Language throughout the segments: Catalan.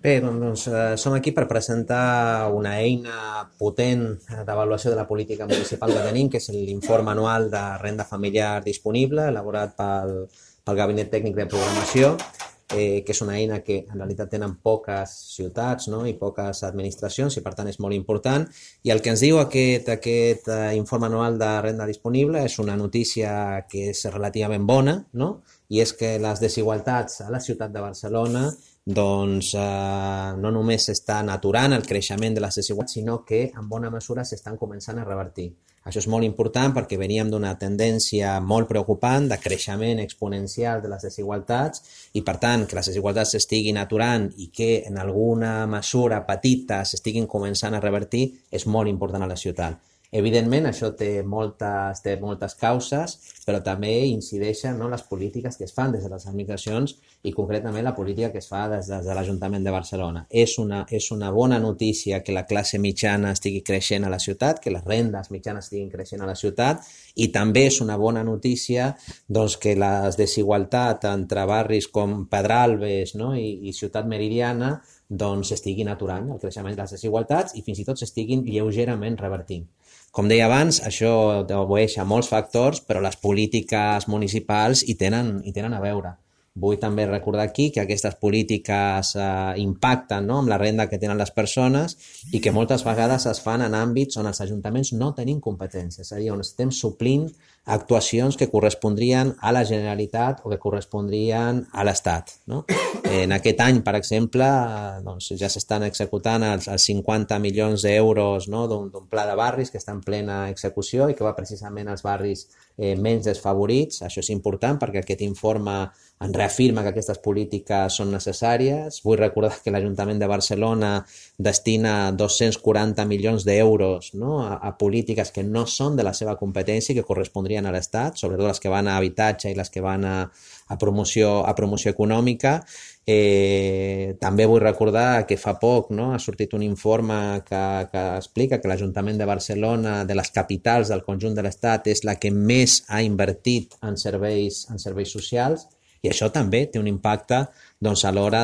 Bé, doncs som aquí per presentar una eina potent d'avaluació de la política municipal que tenim, que és l'informe anual de renda familiar disponible, elaborat pel Gabinet Tècnic de Programació, que és una eina que en realitat tenen poques ciutats, no? I poques administracions, i per tant és molt important. I el que ens diu aquest informe anual de renda disponible és una notícia que és relativament bona, no? I és que les desigualtats a la ciutat de Barcelona doncs no només s'estan aturant el creixement de les desigualtats, sinó que en bona mesura s'estan començant a revertir. Això és molt important perquè veníem d'una tendència molt preocupant de creixement exponencial de les desigualtats i, per tant, que les desigualtats s'estiguin aturant i que en alguna mesura petita s'estiguin començant a revertir és molt important a la ciutat. Evidentment, això té moltes causes, però també incideixen, no, les polítiques que es fan des de les administracions i concretament la política que es fa des de l'Ajuntament de Barcelona. És una bona notícia que la classe mitjana estigui creixent a la ciutat, que les rendes mitjanes estiguin creixent a la ciutat, i també és una bona notícia doncs, que la desigualtat entre barris com Pedralbes, no, i Ciutat Meridiana doncs, estiguin aturant el creixement de les desigualtats i fins i tot s'estiguin lleugerament revertint. Com deia abans, això obeeix a molts factors, però les polítiques municipals hi tenen a veure. Vull també recordar aquí que aquestes polítiques impacten, no, amb la renda que tenen les persones i que moltes vegades es fan en àmbits on els ajuntaments no tenim competències, és a dir, on estem suplint actuacions que correspondrien a la Generalitat o que correspondrien a l'Estat. No? En aquest any, per exemple, doncs, ja s'estan executant els 50 milions d'euros, no, d'un pla de barris que està en plena execució i que va precisament als barris menys desfavorits. Això és important perquè aquest informe ens reafirma que aquestes polítiques són necessàries. Vull recordar que l'Ajuntament de Barcelona destina 240 milions d'euros, no, a polítiques que no són de la seva competència i que correspondrien a l'Estat, sobretot les que van a habitatge i les que van a promoció econòmica. També vull recordar que fa poc, no, ha sortit un informe que explica que l'Ajuntament de Barcelona, de les capitals del conjunt de l'Estat, és la que més ha invertit en serveis socials, i això també té un impacte doncs, a l'hora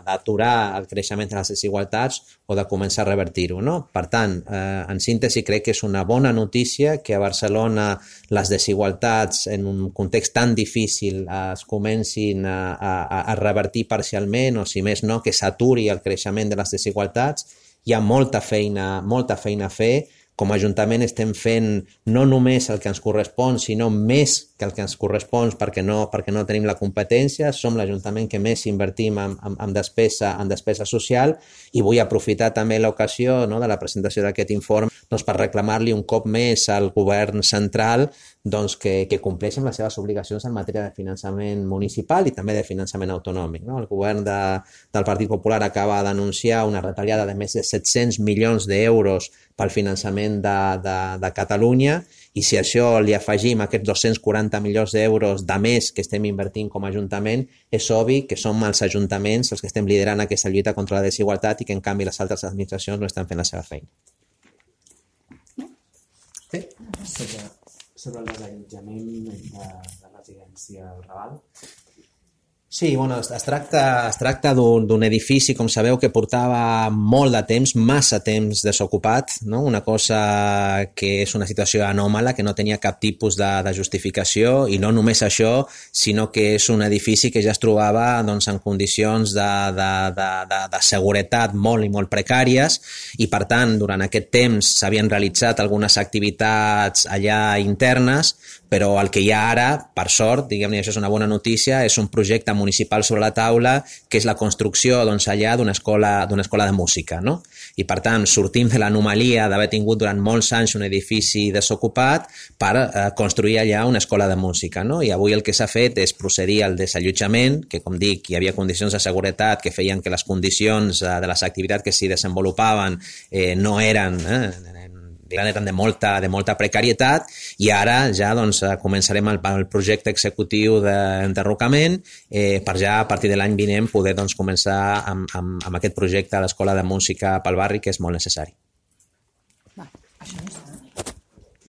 d'aturar el creixement de les desigualtats o de començar a revertir-ho. No? Per tant, en síntesi, crec que és una bona notícia que a Barcelona les desigualtats en un context tan difícil es comencin a revertir parcialment o, si més no, que s'aturi el creixement de les desigualtats. Hi ha molta feina a fer. Com a Ajuntament estem fent no només el que ens correspon, sinó més que el que ens correspon perquè no tenim la competència. Som l'Ajuntament que més invertim en despesa social i vull aprofitar també l'ocasió, no, de la presentació d'aquest informe doncs, per reclamar-li un cop més al govern central doncs, que compleixi amb les seves obligacions en matèria de finançament municipal i també de finançament autonòmic. No? El govern del Partit Popular acaba d'anunciar una retallada de més de 700 milions d'euros pel finançament de Catalunya, i si a això li afegim aquests 240 milions d'euros de més que estem invertint com a Ajuntament, és obvi que som els ajuntaments els que estem liderant aquesta lluita contra la desigualtat i que en canvi les altres administracions no estan fent la seva feina. Sí? Sobre el desallotjament de residència al Raval. Sí, bueno, es tracta d'un edifici, com sabeu, que portava molt de temps, massa temps desocupat, no? Una cosa que és una situació anòmala, que no tenia cap tipus de justificació, i no només això, sinó que és un edifici que ja es trobava doncs, en condicions de seguretat molt i molt precàries, i per tant, durant aquest temps s'havien realitzat algunes activitats allà internes, però el que hi ha ara, per sort, diguem-ne, això és una bona notícia, és un projecte municipal sobre la taula, que és la construcció doncs, allà d'una escola de música. No? I per tant, sortim de l'anomalia d'haver tingut durant molts anys un edifici desocupat per construir allà una escola de música. No? I avui el que s'ha fet és procedir al desallotjament, que com dic, hi havia condicions de seguretat que feien que les condicions de les activitats que s'hi desenvolupaven no eren de molta precarietat, i ara ja doncs, començarem el projecte executiu d'enderrocament per ja a partir de l'any vinent poder doncs, començar amb aquest projecte a l'Escola de Música pel barri, que és molt necessari. Va, això no està.